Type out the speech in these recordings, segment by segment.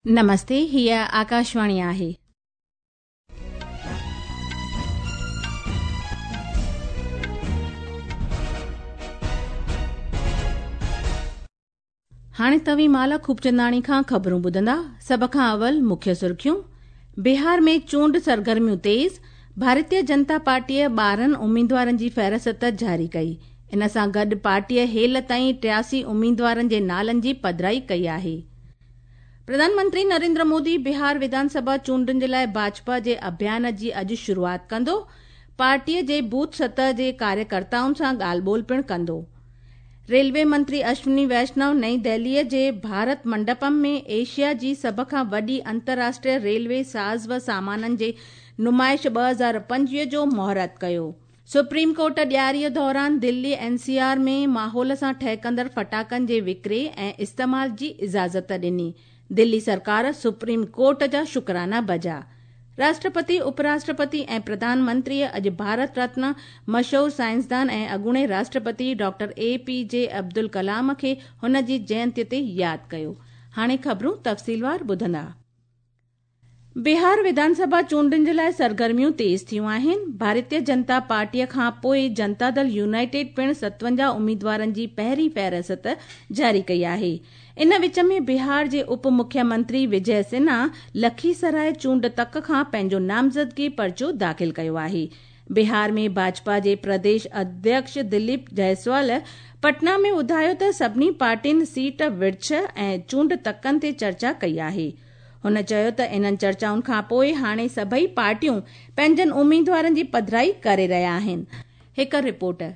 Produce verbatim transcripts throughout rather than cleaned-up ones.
नमस्ते, हीअ आकाशवाणी आहे। हाणे तव्हीं माला खूबचंदाणी खां ख़बरूं ॿुधंदा। सभ खां अवल मुख्य सुर्खियूं। बिहार में चूंड सरगर्मियूं तेज़। भारतीय जनता पार्टीअ ॿारहं उमेदवारनि जी फ़हरिस्त जारी कई। इन सां गॾु पार्टीअ हेल ताईं टियासी उमेदवारनि जे नालनि जी पधराई कई आहे। प्रधानमंत्री नरेंद्र मोदी बिहार विधानसभा चूंडुनि जे लाइ भाजपा जे अभियान जी अॼु शुरूआत कंदो। पार्टीअ जे बूथ सतह जे कार्यकर्ताउनि सां ॻाल्हि ॿोल पिणु कंदो। रेलवे मंत्री अश्विनी वैष्णव नई दिल्लीअ जे भारत मंडपम में एशिया जी सभ खां वॾी अंतर्राष्ट्रीय रेलवे साज़ व सामाननि जे नुमाइश ॿ हज़ार पंजवीह जो मुहूर्त कयो। सुप्रीम कोर्ट ॾियारीअ दौरान दिल्ली एन सी आर में माहौल सां ठहकंदड़ फटाकनि जे विकिरे ऐं इस्तेमाल जी इजाज़त ॾिनी। दिल्ली सरकार सुप्रीम कोर्ट जा शुक्राना बजा। राष्ट्रपति, उपराष्ट्रपति ऐं प्रधानमंत्रीअ अॼु भारत रत्न मशहूर साइंसदान ऐं अॻूणे राष्ट्रपति doctor A P J Abdul Kalam खे हुन जी जयंतीअ ते यादि कयो। हाणे ख़बरूं तफ़सीलवार ॿुधंदा। बिहार विधानसभा चूंडुनि जे लाइ सरगर्मियूं तेज़ थियूं आहिनि। भारतीय जनता पार्टीअ खां पोइ जनता दल यूनाइटेड पिणु सतवंजाह उमेदवारनि जी पहिरीं फ़हरिस्त जारी कई आहे। इन विच में बिहार जे उप मुख्यमंत्री विजय सिन्हा लखीसराय चूंड तक खां पंहिंजो नामज़दगी पर्चो दाख़िल कयो आहे। बिहार में भाजपा जे प्रदेश अध्यक्ष दिलीप जायसवाल पटना में ॿुधायो त सभिनी पार्टियुनि सीट विर्छ ऐं चूंड तकनि ते चर्चा कई आहे। हुन चयो त इन्हनि चर्चाउनि खां पोइ हाणे सभई पार्टियूं पंहिंजनि उमेदवारनि जी पधराई करे रहिया आहिनि। हिकु रिपोर्ट।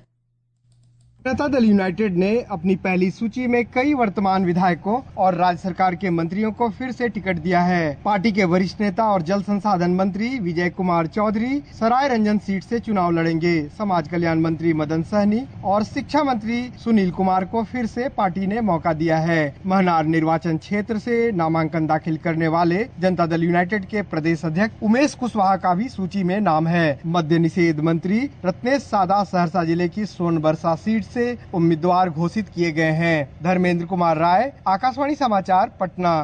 जनता दल यूनाइटेड ने अपनी पहली सूची में कई वर्तमान विधायकों और राज्य सरकार के मंत्रियों को फिर से टिकट दिया है। पार्टी के वरिष्ठ नेता और जल संसाधन मंत्री विजय कुमार चौधरी सराय रंजन सीट से चुनाव लड़ेंगे। समाज कल्याण मंत्री मदन सहनी और शिक्षा मंत्री सुनील कुमार को फिर से पार्टी ने मौका दिया है। महनार निर्वाचन क्षेत्र से नामांकन दाखिल करने वाले जनता दल यूनाइटेड के प्रदेश अध्यक्ष उमेश कुशवाहा का भी सूची में नाम है। मद्य निषेध मंत्री रत्नेश सादा सहरसा जिले की सोनबरसा सीट से उम्मीदवार घोषित किए गए हैं। धर्मेंद्र कुमार राय, आकाशवाणी समाचार, पटना।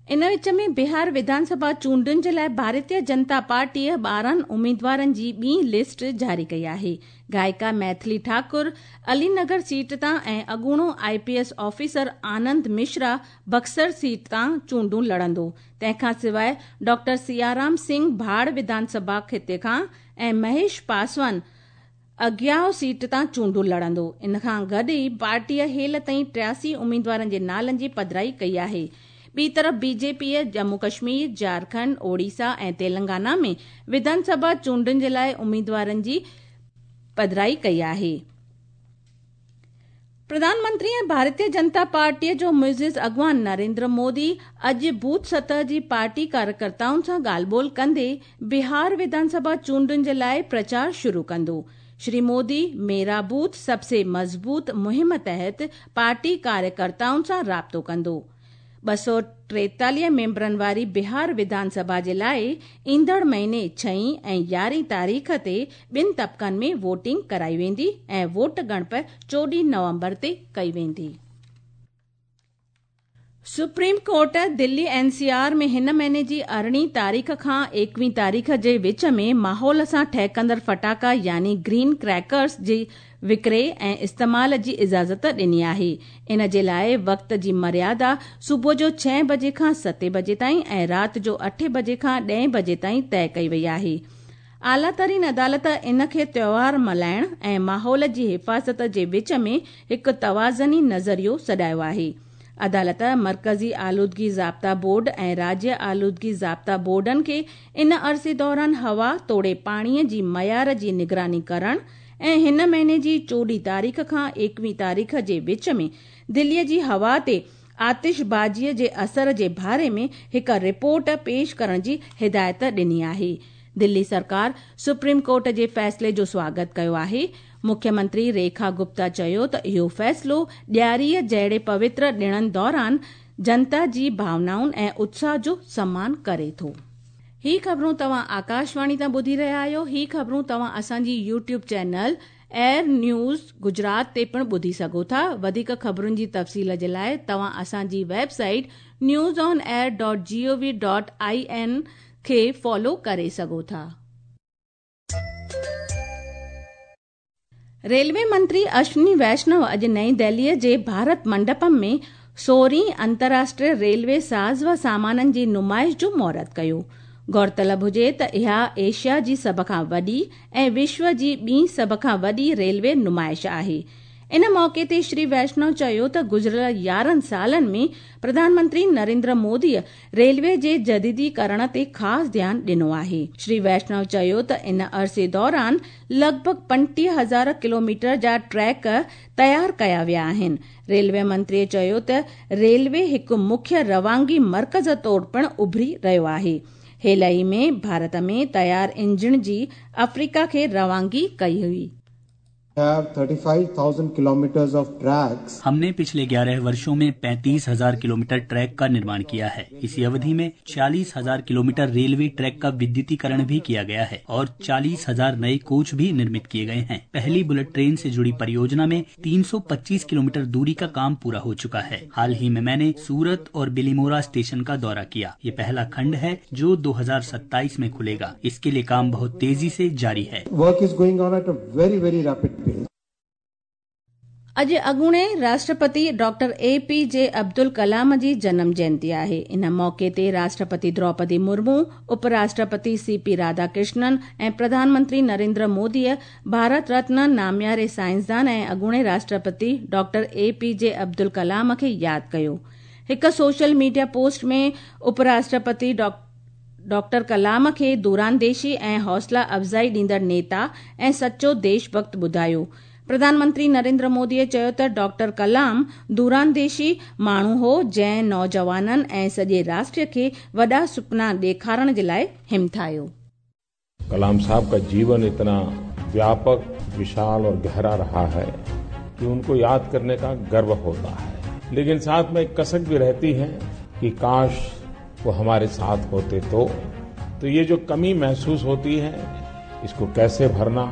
इन विच में बिहार विधानसभा चूंडुनि जे लाइ भारतीय जनता पार्टीअ ॿारहं उमेदवारनि जी ॿी लिस्ट जारी कई आहे। गायिका मैथिली ठाकुर अलीनगर सीट तां ऐं अॻूणो I P S officer Anand Mishra Buxar seat तां चूंडूं लड़ंदो। तंहिंखां सवाइ डॉक्टर सियाराम सिंह भाड़ विधानसभा ख़िते खां ऐं महेश पासवान अगियाव सीट तां चूंडूं लड़ंदो। इन खां गॾु ई पार्टीअ हेल ताईं टियासी उमेदवारनि जे नालनि जी पधराई कई आहे। ॿी तरफ़ बीजेपीअ जम्मू कश्मीर, झारखंड, ओडिशा ऐं तेलंगाना में विधानसभा चूंडुनि जे लाइ उमेदवारनि जी पधराई कई आहे। प्रधानमंत्री ऐं भारतीय जनता पार्टीअ जो मुइज़िज़ अॻवान नरेंद्र मोदी अॼु बूथ सतह जी पार्टी कार्यकर्ताउनि सां ॻाल्हि ॿोल कंदे बिहार विधानसभा चूंडुनि जे लाइ प्रचार शुरू कंदो। श्री मोदी मेरा बूथ सबसे मज़बूत मुहिम तहत पार्टी कार्यकर्ताउनि सां राब्तो कंदो। ॿ सौ टेतालीह मेंबरनि वारी बिहार विधानसभा जे लाइ ईंदड़ महीने छहीं ऐं यारहीं तारीख़ ते ॿिनि तबक़नि में वोटिंग कराई वेंदी ऐं वोट ॻणप चोॾहीं नवंबर ते कई वेंदी। Supreme court Delhi N C R में हिन महीने जी अरिड़हीं तारीख़ खां एकवीह तारीख़ जे विच में माहौल सां ठहकंदड़ फटाका यानी ग्रीन क्रैकर्स जे विकिरे ऐं इस्तेमाल जी इजाज़त ॾिनी आहे। इन जे लाइ वक़्त जी मर्यादा सुबुह जो छह बजे खां सतें बजे ताईं ऐं राति जो अठे बजे खां ॾहें बजे ताईं तय कई वई आहे। आला तरीन अदालत इन खे त्योहार मल्हाइण ऐं माहौल जी हिफ़ाज़त जे विच में हिकु तवाज़नी नज़रियो सॾायो आहे। अदालत मरकज़ी आलूदगी ज़ाब्ता बोर्ड ऐं राज्य आलूदगी ज़ाब्ता बोर्डनि खे इन अरसे दौरान हवा तोड़े पाणीअ जी मयार जी निगरानी करण ऐं हिन महीने जी चोॾहीं तारीख़ खां एकवीह तारीख़ जे विच में दिल्लीअ जी हवा ते आतिशबाज़ीअ जे असर जे बारे में हिकु रिपोर्ट पेश करण जी हिदायत ॾिनी आहे। दिल्ली सरकार सुप्रीम कोर्ट जे फ़ैसिले जो स्वागत कयो आहे। मुख्यमंत्री रेखा गुप्ता चयो त इहो फ़ैसिलो ॾियारीअ जहिड़े पवित्र ॾिणनि दौरान जनता जी भावनाउनि ऐं उत्साह जो सम्मान करे थो। ही ख़बरूं तव्हां आकाशवाणी तां ॿुधी रहिया आहियो। ही ख़बरूं तव्हां असांजी YouTube channel air news Gujarat ते पिणु ॿुधी सघो था। वधीक ख़बरुनि जी तफ़सील जे लाइ तव्हां असांजी website news on air dot G O V dot I N खे फॉलो करे सघो था। रेलवे मंत्री अश्विनी वैष्णव अॼु नई दिल्लीअ जे भारत मंडपम में सोरहीं अंतर्राष्ट्रीय रेलवे साज़ व सामाननि जी नुमाइश जो मुहूर्त कयो। गौरतलब हुजे त इहा एशिया जी सभ खां वॾी ऐं विश्व जी ॿी सभ खां वॾी रेलवे नुमाइश आहे। इन मौक़े ते श्री वैष्णव चयो त गुज़िरियल यारहं सालनि में प्रधानमंत्री नरेंद्र मोदीअ रेलवे जे जदीदीकरण ते ख़ासि ध्यानु ॾिनो आहे। श्री वैष्णव चयो त इन अरसे दौरान लॻभॻि पंटीह हज़ार किलोमीटर जा ट्रैक तयारु कया विया आहिनि। रेलवे मंत्रीअ चयो त रेलवे हिकु मुख्य रवानगी मर्कज़ तौर पिणु उभरी रहियो आहे। हाल ई में भारत में तयारु इंजन जी अफ्रीका खे रवानगी कई हुई। Have thirty-five thousand kilometers of tracks. हमने पिछले ग्यारह वर्षों में पैंतीस हजार किलोमीटर ट्रैक का निर्माण किया है। इसी अवधि में चालीस हजार किलोमीटर रेलवे ट्रैक का विद्युतीकरण भी किया गया है और चालीस हजार नए कोच भी निर्मित किए गए हैं। पहली बुलेट ट्रेन से जुड़ी परियोजना में तीन सौ पच्चीस किलोमीटर दूरी का काम पूरा हो चुका है। हाल ही में मैंने सूरत और बिलीमोरा स्टेशन का दौरा किया। ये पहला खंड है जो दो हजार सत्ताईस में खुलेगा। इसके लिए काम बहुत तेजी से जारी है। Work is going on at a very very rapid pace. अॼु अॻूणे राष्ट्रपति doctor A P J Abdul Kalam जी जनम जयंती आहे। इन मौक़े ते राष्ट्रपति द्रौपदी मुर्मू, उपराष्ट्रपति सी पी राधाकृष्णन ऐं प्रधानमंत्री नरेंद्र मोदीअ भारत रत्न नामियारे साइंसदान ऐं अॻूणे राष्ट्रपति doctor A P J Abdul Kalam खे यादि कयो। हिकु सोशल मीडिया पोस्ट में उपराष्ट्रपति डॉक्टर कलाम खे दूरांदेशी ऐं हौसला अफ़ज़ाई ॾींदड़ नेता ऐं सचो देशभक्त ॿुधायो। प्रधानमंत्री नरेंद्र मोदीअ चयो त डॉक्टर कलाम दूरांदेशी माण्हू हो जंहिं नौजवाननि ऐं सॼे राष्ट्र खे वॾा सुपना ॾेखारण जे लाइ हिमथायो। कलाम साहब का जीवन इतना व्यापक, विशाल और गहरा रहा है कि उनको याद करने का गर्व होता है, लेकिन साथ में एक कसक भी रहती है कि काश वो हमारे साथ होते तो तो ये जो कमी महसूस होती है इसको कैसे भरना,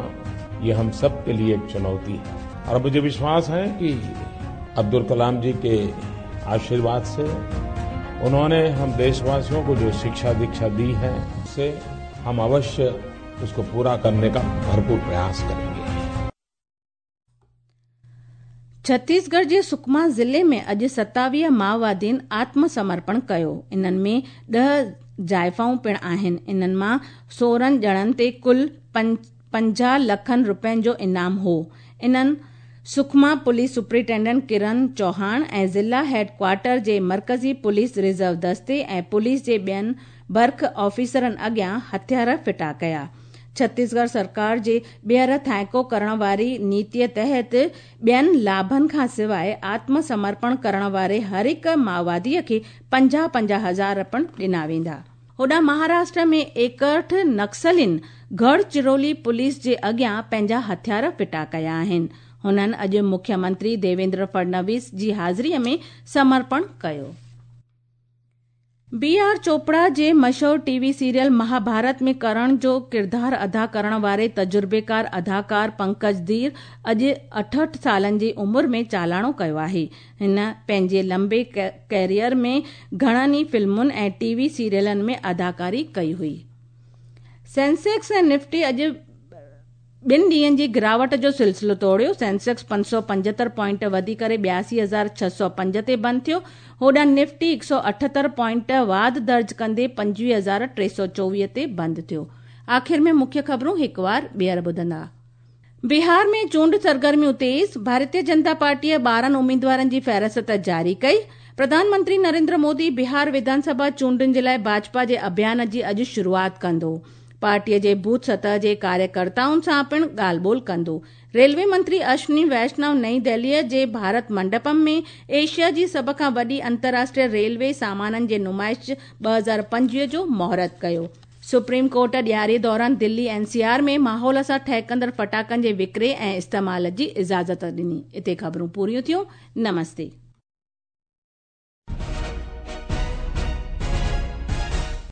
ये हम सब के लिए एक चुनौती है। और मुझे विश्वास है कि अब्दुल कलाम जी के आशीर्वाद से उन्होंने हम देशवासियों को जो शिक्षा दीक्षा दी है, उससे हम अवश्य उसको पूरा करने का भरपूर प्रयास करेंगे। छत्तीसगढ़ जे सुकमा ज़िले में अॼु सतावीह माओवादियुनि आत्मसमर्पण कयो। इन्हनि में ॾह ज़ाइफ़ाऊं पिणु आहिनि। इन्हनि मां सोरहं ॼणनि ते कुल पंजाह लखनि रुपयनि जो इनाम हो। इन्हनि सुकमा पुलिस सुपरिटेंडेंट किरण चौहान ऐं ज़िला हेडक्वार्टर जे मर्कज़ी पुलिस रिज़र्व दस्ते ऐं पुलिस जे ॿियनि बर्ख ऑफिसरनि अॻियां हथियार फिटा कया। छत्तीसगढ़ सरकार जे ॿीहर थाइको करण वारी नीतीअ तहत ॿियनि लाभनि खां सवाइ आत्मसमर्पण करण वारे हर हिकु माओवादीअ खे पंजाह पंजाह हज़ार पिणु ॾिना वेंदा। होॾां महाराष्ट्र में एकहठ नक्सलियुनि गढ़चिरौली पुलिस जे अॻियां पंहिंजा हथियार फिटा कया आहिनि। हुननि अॼु मुख्यमंत्री देवेंद्र फडणवीस जी हाज़िरीअ में समर्पण कयो। बी आर चोपड़ा जे मशहूर टीवी सीरियल महाभारत में करण जो किरदार अदा करण वारे तजुर्बेकार अदाकार पंकज धीर अॼु अठहठि सालनि जी उमिरि में चालाणो कयो आहे। हिन पंहिंजे लंबे कैरियर में घणनि ई फिल्मुनि ऐं टीवी सीरियलनि में अदाकारी कई हुई। सेंसेक्स ऐं निफ्टी अॼु ॿिनि ॾींहंनि जी गिरावट जो सिलसिलो तोड़ियो। सेंसेक्स पंज सौ पंजहतरि पॉइंट वधी करे ॿियासी हज़ार छह सौ पंज ते बंदि थियो। होॾां निफ्टी हिकु सौ अठहतरि पॉइंट वाध दर्ज कंदे पंजवीह हज़ार टे सौ चोवीह ते बंदि थियो। आख़िर में मुख्य ख़बरूं हिकु वार ॿीहर ॿुधंदा। बिहार में चूंड सरगर्मियूं तेज़, भारतीय जनता पार्टीअ ॿारहं उम्मीदवारनि जी फ़हरिस्त जारी कई। प्रधानमंत्री नरेंद्र मोदी बिहार विधानसभा चूंडुनि जे लाइ भाजपा जे अभियान जी अॼु शुरूआत कंदो। पार्टीअ जे बूथ सतह जे कार्यकर्ताउनि सां पिणु ॻाल्हि ॿोल कंदो। रेलवे मंत्री अश्विनी वैष्णव नई दिल्लीअ जे भारत मंडपम में एशिया जी सभ खां वॾी अंतर्राष्ट्रीय रेलवे सामाननि जे नुमाइश ॿ हज़ार पंजवीह जो मुहूर्त कयो। सुप्रीम कोर्ट ॾियारी दौरान दिल्ली एनसीआर में माहौल सां ठहकंदड़ फटाकनि जे विकिरे ऐं इस्तेमाल जी इजाज़त ॾिनी। हिते ख़बरूं पूरियूं थियूं। नमस्ते।